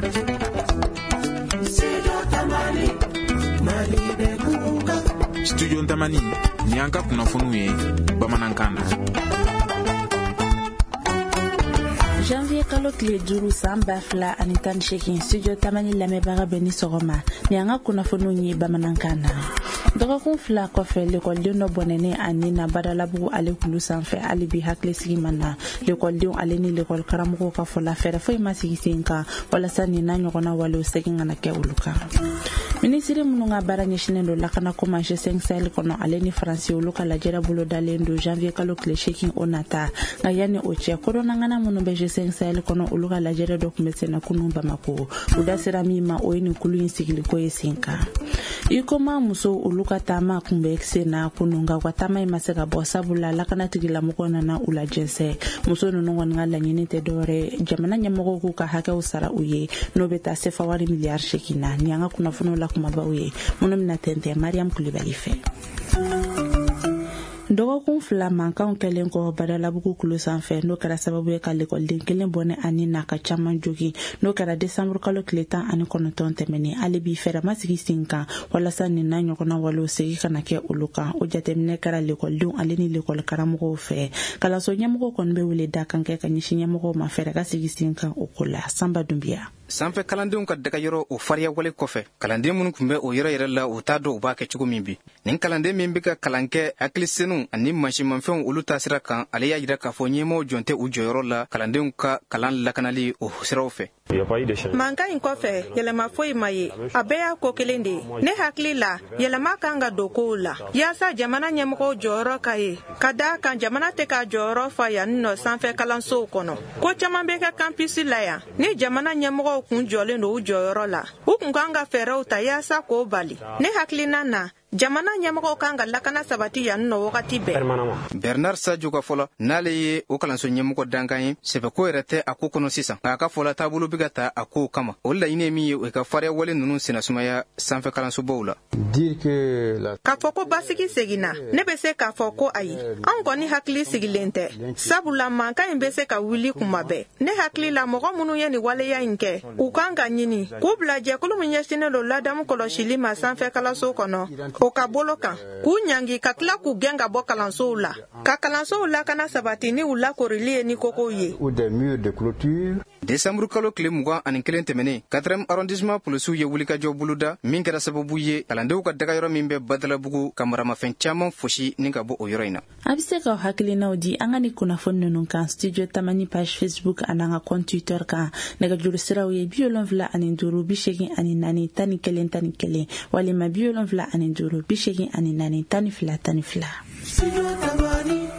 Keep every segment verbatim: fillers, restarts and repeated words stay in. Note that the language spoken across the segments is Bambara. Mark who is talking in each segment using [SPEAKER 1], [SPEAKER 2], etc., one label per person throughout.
[SPEAKER 1] Studio Tamani, ni an ka kunnafoniw ye bamanankan na.
[SPEAKER 2] Janvier kalo tile duuru san ba fila ani tan ni seegin, Studio Tamani lamɛnbaga bɛ ni sɔgɔma, ni an ka kunnafoniw ye bamanankan na. Dɔgɔkun fila kɔfɛ, lekɔliden dɔ bɔnɛnen a ni na Badalabugu ale kulu sanfɛ, hali bi hakilisigi ma na. Lekɔlidenw ale ni lekɔli karamɔgɔw ka fɔ la, fɛɛrɛ foyi ma sigi sen kan walasa nin n'a ɲɔgɔnna walew segin kana kɛ olu kan. Minisiri minnu ka baara ɲɛsinnen don lakanako ma G cinq Sahel kɔnɔ ale ni Faransi, olu ka lajɛrɛ bolodalen don janvier kalo tile seegin o nata. Nka yanni o cɛ, kodɔnnangana minnu bɛ G cinq Sahel kɔnɔ, olu ka lajɛrɛ dɔ tun bɛ senna kunun Bamako. U da sera min ma, o ye nin kulu in sigiliko ye sen kan. Huicoma musow, olu ka taama kun bɛ sen na kunun, nka u ka taama in ma se ka bɔ, sabula lakana tigilamɔgɔw nana u lajɛnsɛn. Muso ninnu kɔni ka laɲini tɛ dɔwɛrɛ, jamana ɲɛmɔgɔw k'u ka hakɛw sara u ye, n'o bɛ taa sefa wari miliyari seegin na. Nin y'an ka kunnafoniw la kumabaw ye minnu bɛna tɛntɛn Mariam Kulibali fɛ. Dɔgɔkun fila mankanw kɛlen kɔ Badalabugu kulu sanfɛ, n'o kɛra sababu ye ka lekɔliden kelen bɔnɛ ani n'a ka caman jogin, n'o kɛra desanburu kalo tile tan ani kɔnɔntɔn tɛmɛnen, hali bi fɛɛrɛ ma sigi sen kan walasa nin n'a ɲɔgɔnna walew segin kana kɛ olu kan. O jateminɛ kɛra lekɔlidenw ale ni lekɔli karamɔgɔw fɛ. Kalanso ɲɛmɔgɔw kɔni bɛ wele da kan kɛ ka ɲɛsin ɲɛmɔgɔw ma, fɛɛrɛ ka sigi sen kan o ko la. Sanba Dunbiya.
[SPEAKER 3] Sanfɛ kalandenw ka dagayɔrɔ o fariya wale kɔfɛ, kalanden minnu tun bɛ o yɔrɔ yɛrɛ la, u t'a dɔn u b'a kɛ cogo min bi. Nin kalanden min bɛ ka kalan kɛ hakili senu ani mansinmafɛnw olu taasira kan, ale y'a jira k'a fɔ ɲɛmɔgɔw jɔn tɛ u jɔyɔrɔ la kalandenw ka kalan lakanali o siraw fɛ.
[SPEAKER 4] Mankan in kɔfɛ, yɛlɛma foyi ma ye, a bɛɛ y'a ko kelen de ye. Ne hakili la, yɛlɛma kan ka don kow la yaasa jamana ɲɛmɔgɔw jɔyɔrɔ ka ye, ka da kan jamana tɛ k'a jɔyɔrɔ fa yan nɔ sanfɛ kalansow kɔnɔ. Ko caman bɛ kɛ campus la yan, ni jamana ɲɛmɔgɔw kun jɔlen don u jɔyɔrɔ la, u kun kan ka fɛɛrɛw ta yaasa k'o bali. Ne hakilina na, jamana ɲɛmɔgɔw kan ka lakana sabati yan nɔ wagati bɛɛ.
[SPEAKER 3] Bernard Sadio ka fɔ la, n'ale ye o kalanso ɲɛmɔgɔ dankan ye, sɛbɛko yɛrɛ tɛ a ko kɔnɔ sisan, nka a ka fɔ la, taabolo bɛ ka ta a kow kama. O laɲini ye min ye, o ka fariya wale ninnu sennasumaya sanfɛ kalansobaw la.
[SPEAKER 4] K'a fɔ ko basigi seginna, ne bɛ se k'a fɔ ko ayi, anw kɔni hakili sigilen tɛ, sabula mankan in bɛ se ka wuli kuma bɛɛ. Ne hakili la, mɔgɔ minnu ye nin waleya in kɛ, u kan ka ɲini k'u bila jɛkulu min ɲɛsinnen don ladamu kɔlɔsili ma sanfɛ kalanso kɔnɔ, o ka bolo kan, k'u ɲangi ka tila k'u gɛn ka bɔ kalansow la, ka kalansow lakana sabati ni u lakorili ye ni kokow ye.
[SPEAKER 3] Desanburu kalo tile mugan ani kelen tɛmɛnen, quatrième arrondissement polisiw ye wulikajɔ boloda min kɛra sababu ye kalandenw ka dagayɔrɔ min bɛ Badalabugu ka maramafɛn caman fosi ni ka bɔ o yɔrɔ in na.
[SPEAKER 2] A bɛ se k'aw hakilinaw di an ka ni kunnafoni ninnu kan Studio Tamani page Facebook an'an ka compte Twitter kan. Nɛgɛjuru siraw ye bi wolonfila ani duuru bi seegin ani naani tan ni kelen tan ni kelen walima bi wolonfila ani duuru bi seegin ani naani tan ni fila tan ni fila.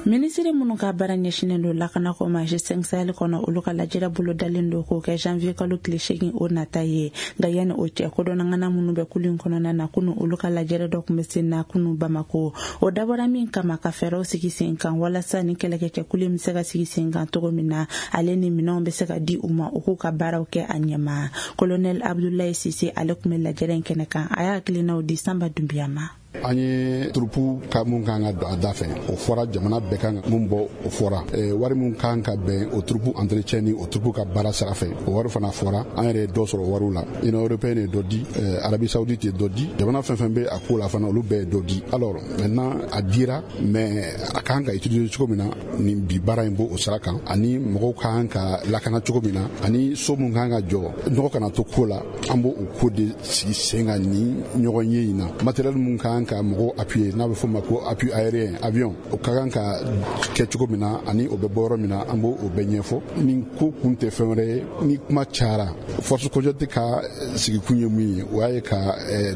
[SPEAKER 2] Minisiri minnu ka baara ɲɛsinnen don lakanako ma G cinq Sahel kɔnɔ, olu ka lajɛrɛ bolodalen don k'o kɛ janvier kalo tile seegin o nata ye. Nka yanni o cɛ, kodɔnnangana minnu bɛ kulu in kɔnɔna na, kunu olu ka lajɛrɛ dɔ tun bɛ sen na kunu Bamako. O dabɔra min kama, ka fɛɛrɛw sigi sen kan walasa ni kɛlɛkɛcɛkulu in bɛ se ka sigi sen kan cogo min na, ale ni minɛnw bɛ se ka di u ma u k'u ka baaraw kɛ a ɲɛma. Colonel Abdoulaye Cissé, ale tun bɛ lajɛrɛ in kɛnɛ kan, a y'a hakilinaw di Sanba Dunbiya ma.
[SPEAKER 5] An ye troupe ka mun kan ka don a da fɛ, o fɔra. Jamana bɛɛ kan ka mun bɔ, o fɔra. Wari mun kan ka bɛn o troupe entretien ni o troupe ka baara sira fɛ, o wari fana fɔra. An yɛrɛ ye dɔ sɔrɔ wariw la. Union européenne ye dɔ di, Arabie saoudite ye dɔ di, jamana fɛn fɛn bɛ a ko la fana, olu bɛɛ ye dɔ di. Alors maintenant, a dira, mais a kan ka utiliser cogo min na, nin bi baara in b'o o sira kan, ani mɔgɔw kan ka lakana cogo min na, ani so mun kan ka jɔ, nɔgɔ kana to ko la, an b'o o ko de sigi sen kan ni ɲɔgɔn ye in na. Matériel mun kan ka mɔgɔw appuyer, n'a bɛ fɔ o ma ko appui aérien, avion, o ka kan ka kɛ cogo min na, ani o bɛ bɔ yɔrɔ min na, an b'o o bɛɛ ɲɛfɔ. Nin ko kun tɛ fɛn wɛrɛ ye, ni kuma cayara, force conjointe ka sigikun ye mun ye, o y'a ye ka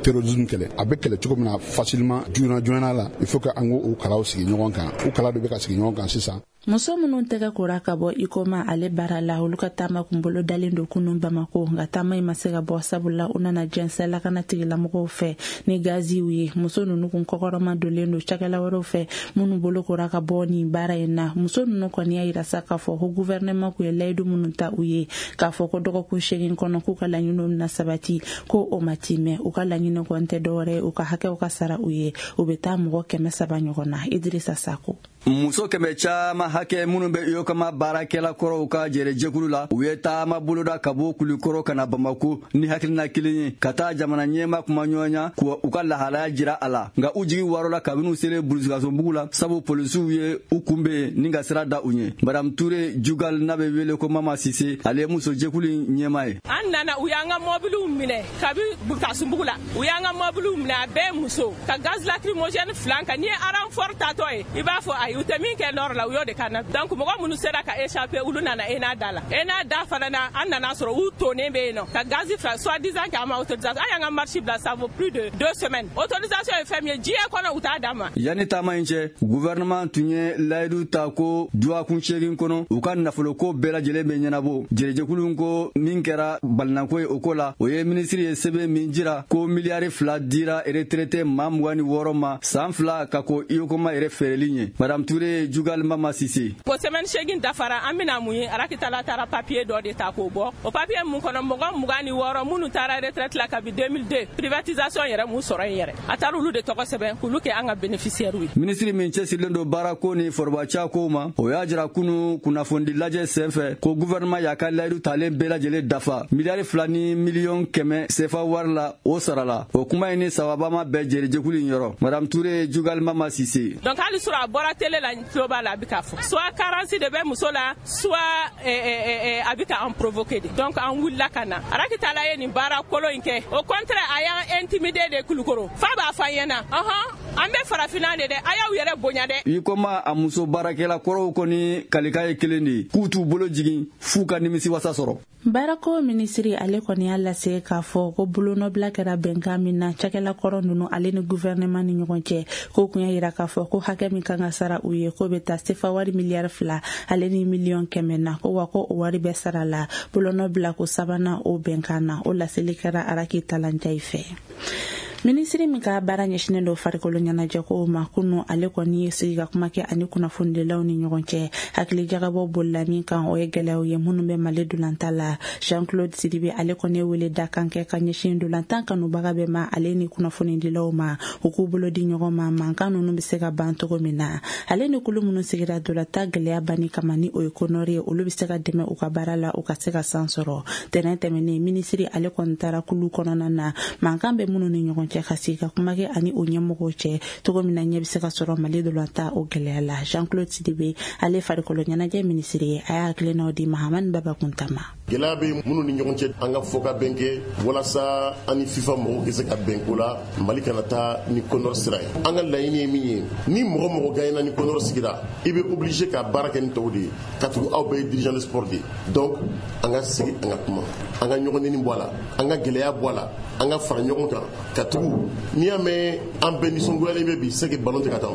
[SPEAKER 5] terrorisme kɛlɛ. A bɛ kɛlɛ cogo min na facilement, joona joona la, il faut que an k'o kalaw sigi ɲɔgɔn kan. O kala de bɛ ka sigi ɲɔgɔn kan sisan.
[SPEAKER 2] Muso minnu tɛgɛ kora ka bɔ Huicoma ale baara la, olu ka taama kun bolo dalen don kunun Bamako. Nka taama in ma se ka bɔ, sabula u nana jɛnsɛn lakana tigilamɔgɔw fɛ ni gaziw ye. Muso ninnu kun kɔkɔrɔma donlen don cakɛla wɛrɛw fɛ minnu bolo kora ka bɔ nin baara in na. Muso ninnu kɔni y'a yira sa k'a fɔ ko gouvernement kun ye layidu minnu ta u ye, k'a fɔ ko dɔgɔkun seegin kɔnɔ k'u ka laɲiniw bɛna sabati, ko o ma timɛ. U ka laɲini kɔni tɛ dɔwɛrɛ ye, u ka hakɛw ka sara u ye. U bɛ taa mɔgɔ kɛmɛ saba ɲɔgɔn na. Idrissa Sako.
[SPEAKER 6] Muso kɛmɛ caman hakɛ minnu bɛ U Y O C A M baarakɛla kɔrɔw ka jɛrɛjɛkulu la, u ye taama boloda ka bɔ Kulikɔrɔ ka na Bamako ni hakilina kelen ye, ka taa jamana ɲɛma kuma ɲɔgɔnya k'u ka lahalaya jira a la. Nka u jigi warɔ la kabini u selen Bulusikasonbugu la, sabu polisiw ye u kunbɛn ni ka sira da u ɲɛ. Madame Ture Jugal, n'a bɛ wele ko Mama Sise, ale ye muso jɛkulu in ɲɛma ye.
[SPEAKER 7] An nana, u y'an ka mɔbiliw minɛ kabi Burukasumbugu la. U y'an ka mɔbiliw minɛ, a bɛɛ muso, ka gaz lacrymogène fila kan. N'i ye renfort tatɔ ye, i b'a fɔ ayi, u tɛ min kɛ nord la, u y'o de kan na. Donc mɔgɔ minnu sera ka échapper, olu nana E N A da la. E N A da fana na, an nana sɔrɔ u tonnen bɛ yen nɔ ka gaz fila, soit disant k'an ma autorisation. An y'an ka marche bila, ça vaut plus de deux semaines. Autorisation ye fɛn min ye diɲɛ kɔnɔ, u t'a d'an ma.
[SPEAKER 6] Yanni taama in cɛ, gouvernement tun ye layidu ta ko dɔgɔkun seegin kɔnɔ, u ka nafoloko bɛɛ lajɛlen bɛ ɲɛnabɔ. Jɛrɛjɛkulu ko min kɛra balinako ye o ko la, o ye minisiri ye sɛbɛn min jira ko miliyari fila dira retraité maa mugan ni wɔɔrɔ ma san fila ka ko U Y O C A M yɛrɛ feereli ɲɛ. Madame Ture Jugal Mama Sise.
[SPEAKER 7] O semaine seegin dafara, an bɛna mun ye? Arakitala taara papier dɔ de ta k'o bɔ. O papier mun kɔnɔ, mɔgɔ mugan ni wɔɔrɔ minnu taara retraite la kabi deux mille deux, privatisation yɛrɛ mun sɔrɔ yen yɛrɛ, a taara olu de tɔgɔ sɛbɛn k'olu kɛ an ka bénéficiaire ye.
[SPEAKER 6] Minisiri min cɛsirilen don baarako ni forobaca kow ma, o y'a jira kunu kunnafonidi lajɛ sen fɛ ko gouvernement y'a ka layidu talen bɛɛ lajɛlen dafa, miliyari fila ni miliyɔn kɛmɛ sefa wari la, o sarala. O kuma in ni sababa ma bɛn jɛrɛjɛkulu in yɔrɔ. Madame Ture Jugal Mama Sise.
[SPEAKER 7] Donc hali sɔrɔ a bɔra télé la, n tulo b'a la, a bɛ k'a fɔ soit carence de bɛ muso la, soit a bɛ ka an provoquer de. Donc an wulila ka na. Arakitala ye nin baara kolon in kɛ. Au contraire, a y'an intimider de Kulukoro f'a b'a fɔ an ɲɛna ɔhɔn, an bɛ farafinna de dɛ, a y'aw yɛrɛ bonya dɛ.
[SPEAKER 6] I koma a muso baarakɛla kɔrɔw kɔni kalika ye kelen de ye, k'u t'u bolo jigin f'u ka nimisi wasa sɔrɔ.
[SPEAKER 2] Baarako minisiri, ale kɔni y'a lase k'a fɔ ko bolonɔbila kɛra bɛnkan min na cakɛla kɔrɔ ninnu ale ni guvɛrɛnɛman ni ɲɔgɔn cɛ, k'o kun y'a yira k'a fɔ ko hakɛ min kan ka sara u ye, k'o bɛ taa sefa wari miliyari fila ale ni miliyɔn kɛmɛ na, ko wa ko o wari bɛɛ sara la bolonɔbila ko sabanan o bɛnkan na. O laseli kɛra Araki Talanjayi fɛ. Minisiri min ka baara ɲɛsinen don farikolo ɲɛnajɛkow ma, kunu ale kɔni ye sigi ka kuma kɛ ani kunnafonidilaw ni ɲɔgɔn cɛ. Hakili jagabɔ bolila min kan, o ye gɛlɛyaw ye minnu bɛ Mali dolanta la. Jean Claude Sidibe, ale kɔni ye wele da kan kɛ ka ɲɛsin dolantan kanubaga bɛɛ ma ale ni kunnafonidilaw ma, u k'u bolo di ɲɔgɔn ma, mankan ninnu bɛ se ka ban cogo min na. Ale ni kulu minnu sigira dolanta gɛlɛya banni kama, ni o ye CONOR ye, olu bɛ se ka dɛmɛ u ka baara la, u ka se ka san sɔrɔ. Tɛnɛn tɛmɛnen, minisiri ale kɔni taara kulu kɔnɔna na, mankan bɛ minnu ni ɲɔgɔn cɛ, ka sigi ka kuma kɛ ani o ɲɛmɔgɔw cɛ cogo min na ɲɛ bɛ se ka sɔrɔ Mali dolanta o gɛlɛya la. Jean Claude Sidibe, ale farikolo ɲɛnajɛ minisiri ye, a y'a hakilinaw di Mahamani Baba Kunta ma.
[SPEAKER 8] Gɛlɛya bɛ minnu ni ɲɔgɔn cɛ, an ka fɔ ka bɛn kɛ walasa an ni FIFA mɔgɔw ka se ka bɛn ko la, Mali kana taa ni CONOR sira ye. An ka laɲini ye min ye, ni mɔgɔ mɔgɔ gagnera, ni CONOR sigira, i bɛ obligé ka baara kɛ ni tɔw de ye, ka tugu aw bɛɛ ye dirigeant de sport de ye. Donc an ka sigi, an ka kuma, an ka ɲɔgɔn neni bɔ a la, an ka gɛlɛya bɔ a la, an ka fara ɲɔgɔn kan ka tugu. N'i y'a mɛn an bɛɛ nisɔngoyalen bɛ bi, c'est que ballon tɛ ka taa,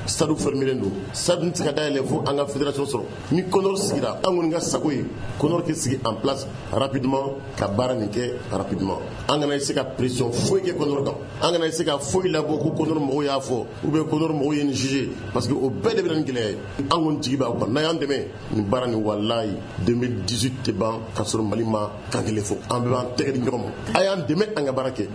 [SPEAKER 8] stade fermé don, stade tɛ se ka dayɛlɛ fo an ka fédération sɔrɔ. Ni CONOR sigira, an kɔni ka sago ye CONOR kɛ sigi en place rapidement, ka baara nin kɛ rapidement. An kana se ka pression foyi kɛ CONOR kan, an kana se ka foyi labɔ ko CONOR mɔgɔw y'a fɔ ou bien CONOR mɔgɔw ye nin jugé, parce que o bɛɛ de bɛ na ni gɛlɛya ye. An kɔni jigi b'aw kan, n'a y'an dɛmɛ nin baara nin, walayi, deux mille dix-huit tɛ ban ka sɔrɔ Mali ma kan kelen fɔ. An bɛɛ b'an tɛgɛ di ɲɔgɔn ma, a y'an dɛmɛ an ka baara kɛ.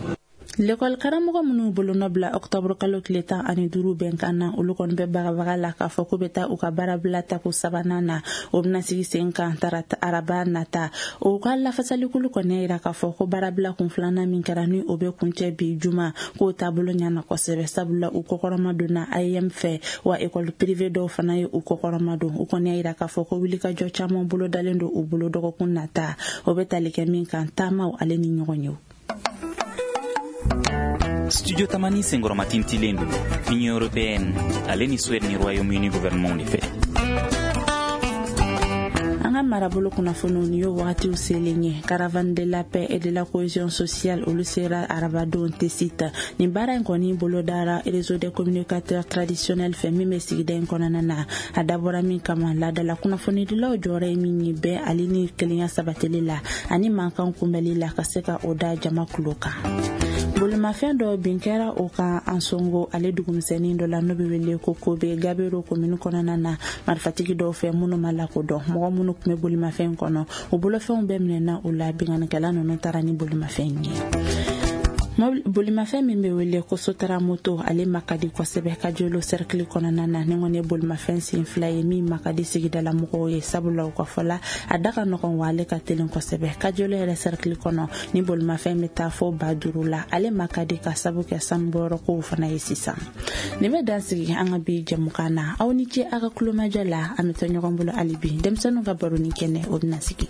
[SPEAKER 2] Lekɔli karamɔgɔ minnu bolonɔ bila ɔktɔburu kalo tile tan ani duuru bɛnkan na, olu kɔni bɛ bagabaga la k'a fɔ k'u bɛ taa u ka baarabila tako sabanan na. O bɛna sigi sen kan tarata, araba nata. O ka lafasalikulu kɔni y'a yira k'a fɔ ko baarabila kun filanan min kɛra, ni o bɛ kuncɛ bi juma, k'o taabolo ɲana kosɛbɛ, sabula u kɔkɔrɔma donna A E M fɛ, wa ekɔli privé dɔw fana ye u kɔkɔrɔma don. U kɔni y'a yira k'a fɔ ko wulikajɔ caman bolo dalen don u bolo dɔgɔkun nata, o bɛ tali kɛ min kan, taamaw ale ni ɲɔgɔn ye.
[SPEAKER 1] Studio Tamani senkɔrɔmatintilen don Union européenne ale ni Suède ni Royaume-Uni gouvernement de fɛ.
[SPEAKER 2] An ka marabolo kunnafoniw, ni y'o wagatiw selen ye. Caravane de la paix et de la cohésion sociale, olu sera arabadon Tessit. Nin baara in kɔni bolodara réseau des communicateurs traditionnels fɛ min bɛ sigida in kɔnɔna na. A dabɔra min kama, laadala kunnafonidilaw jɔyɔrɔ ye min ye bɛn ale ni kelenya sabatili la ani mankan kunbɛli la, ka se ka o da jama kulo kan. Bolimafɛn dɔ bin kɛra o kan Ansongo ale dugumisɛnnin dɔ la, n'o bɛ wele ko Kobe, Gabero komini kɔnɔna na, marifatigi dɔw fɛ minnu ma lakodɔn. Mɔgɔ minnu tun bɛ bolimafɛn kɔnɔ, u bolofɛnw bɛɛ minɛna u la. Binkannikɛla ninnu taara ni bolimafɛn ye. Bolimafɛn min bɛ wele ko Sotara moto, ale ma ka di kosɛbɛ Kajolo cercle kɔnɔna na. Ni kɔni ye bolimafɛn sen fila ye min ma ka di sigidala mɔgɔw ye, sabula u ka fɔ la, a da ka nɔgɔn wa ale ka teli kosɛbɛ. Kajolo yɛrɛ cercle kɔnɔ, ni bolimafɛn bɛ taa fɔ ba duuru la, ale ma ka di ka sabu kɛ sanubɔyɔrɔ kow fana ye sisan. Nin bɛ dan sigi an ka bi jɛmukan na. Aw ni ce aw ka kulomajɔ la. An bɛ to ɲɔgɔn bolo hali bi, denmisɛnninw ka baro ni kɛnɛ o bɛna sigi.